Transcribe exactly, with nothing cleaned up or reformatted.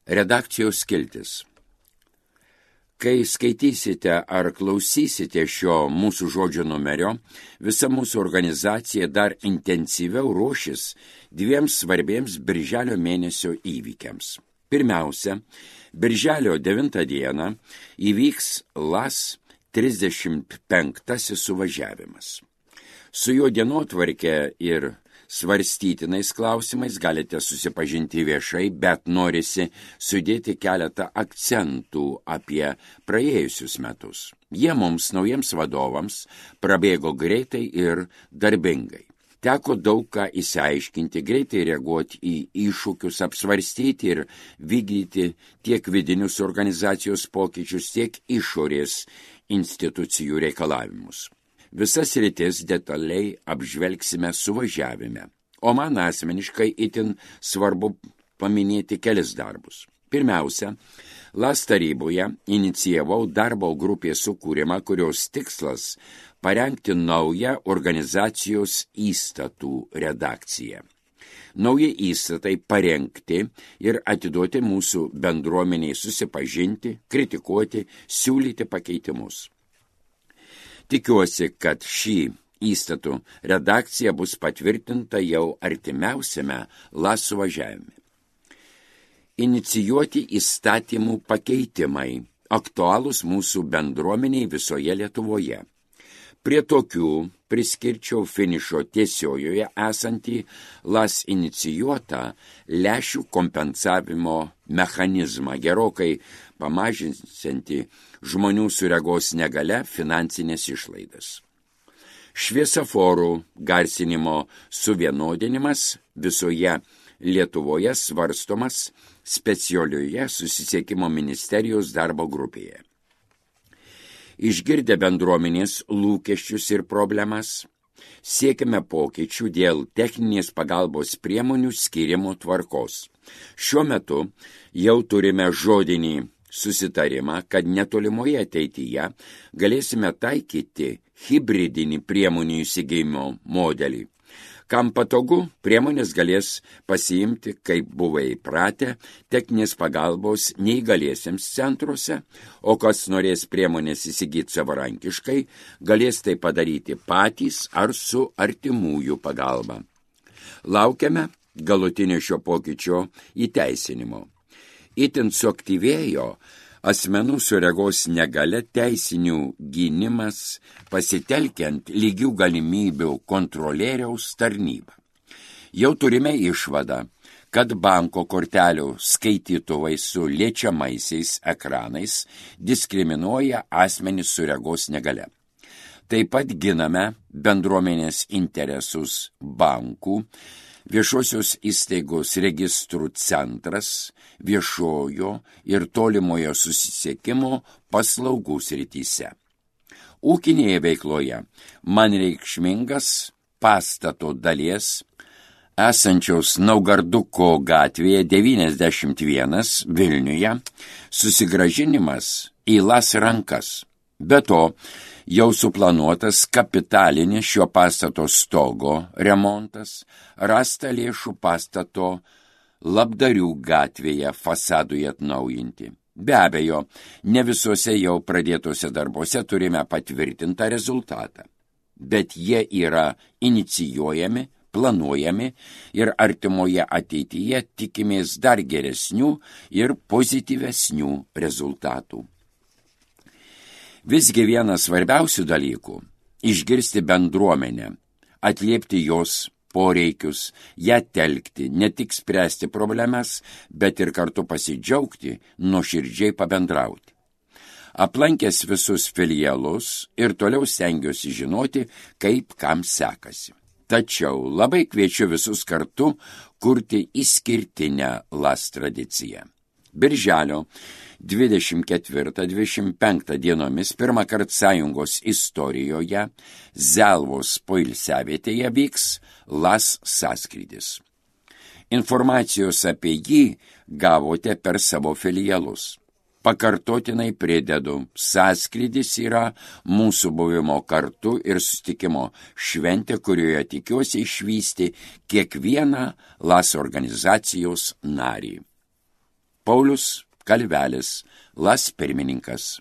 Redakcijos skiltis. Kai skaitysite ar klausysite šio mūsų žodžio numerio, visa mūsų organizacija dar intensyviau ruošis dviems svarbiems birželio mėnesio įvykiams. Pirmiausia, birželio devintą dieną įvyks L A S trisdešimt penktasis suvažiavimas. Su jo dienotvarke ir svarstytinais klausimais galite susipažinti viešai, bet norisi sudėti keletą akcentų apie praėjusius metus. Jie mums, naujiems vadovams, prabėgo greitai ir darbingai. Teko daug ką išsiaiškinti, greitai reaguoti į iššūkius, apsvarstyti ir vykdyti tiek vidinius organizacijos pokyčius, tiek išorės institucijų reikalavimus. Visas sritis detaliai apžvelgsime suvažiavime, o man asmeniškai itin svarbu paminėti kelis darbus. Pirmiausia, L A S taryboje inicijavau darbo grupės sukūrimą, kurios tikslas parengti naują organizacijos įstatų redakciją. Nauji įstatai parengti ir atiduoti mūsų bendruomeniai susipažinti, kritikuoti, siūlyti pakeitimus. Tikiuosi, kad šį įstatų redakcija bus patvirtinta jau artimiausiame L A S suvažiavime. Inicijuoti įstatymų pakeitimai, aktualūs mūsų bendruomeniai visoje Lietuvoje. Prie tokių priskirčiau finišo tiesiojoje esantį L A S inicijuotą lėšų kompensavimo mechanizmą, gerokai pamažinsiantį žmonių su regos negalia finansinės išlaidas. Šviesoforų garsinimo suvienodinimas visoje Lietuvoje svarstomas specialioje susisiekimo ministerijos darbo grupėje. Išgirdę bendruomenės lūkesčius ir problemas, siekime pokyčių dėl techninės pagalbos priemonių skyrimo tvarkos. Šiuo metu jau turime žodinį susitarimą, kad netolimoje ateityje galėsime taikyti hibridinį priemonių įsigijimo modelį. Kam patogu, priemonės galės pasiimti, kaip buvo įpratę, techninės pagalbos neįgaliesiems centruose, o kas norės priemonės įsigyti savarankiškai, galės tai padaryti patys ar su artimųjų pagalba. Laukiame galutinio šio pokyčio įteisinimo. Itin suaktyvėjo asmenų su regos negalia teisinių gynimas pasitelkiant lygių galimybių kontrolieriaus tarnybą. Jau turime išvadą, kad banko kortelių skaitytuvai su liečiamaisiais ekranais diskriminuoja asmenys su regos negalia. Taip pat giname bendruomenės interesus bankų, viešosios įstaigos registrų centras, viešojo ir tolimojo susisiekimo paslaugų srityse. Ūkinėje veikloje man reikšmingas pastato dalies esančios Naugarduko gatvėje devyniasdešimt vienas Vilniuje susigrąžinimas į L A S rankas. Be to, jau suplanuotas kapitalinis šio pastato stogo remontas, rasta lėšų pastato Labdarių gatvėje fasadui atnaujinti. Be abejo, ne visuose jau pradėtose darbuose turime patvirtintą rezultatą, bet jie yra inicijuojami, planuojami ir artimoje ateityje tikimės dar geresnių ir pozityvesnių rezultatų. Visgi vienas svarbiausių dalykų – išgirsti bendruomenę, atliepti jos poreikius, ją telkti, ne tik spręsti problemas, bet ir kartu pasidžiaugti, nuoširdžiai pabendrauti. Aplankęs visus filialus ir toliau stengiuosi žinoti, kaip kam sekasi. Tačiau labai kviečiu visus kartu kurti išskirtinę L A S tradiciją. Birželio dvidešimt ketvirtą dvidešimt penktą dienomis pirmą kartą sąjungos istorijoje Zelvos poilsiavietėje vyks L A S sąskrydis. Informacijos apie jį gavote per savo filialus. Pakartotinai pridedu, sąskrydis yra mūsų buvimo kartu ir susitikimo šventė, kurioje tikiuosi išvysti kiekvieną L A S organizacijos narį. Paulius Kalvelis, Las pirmininkas.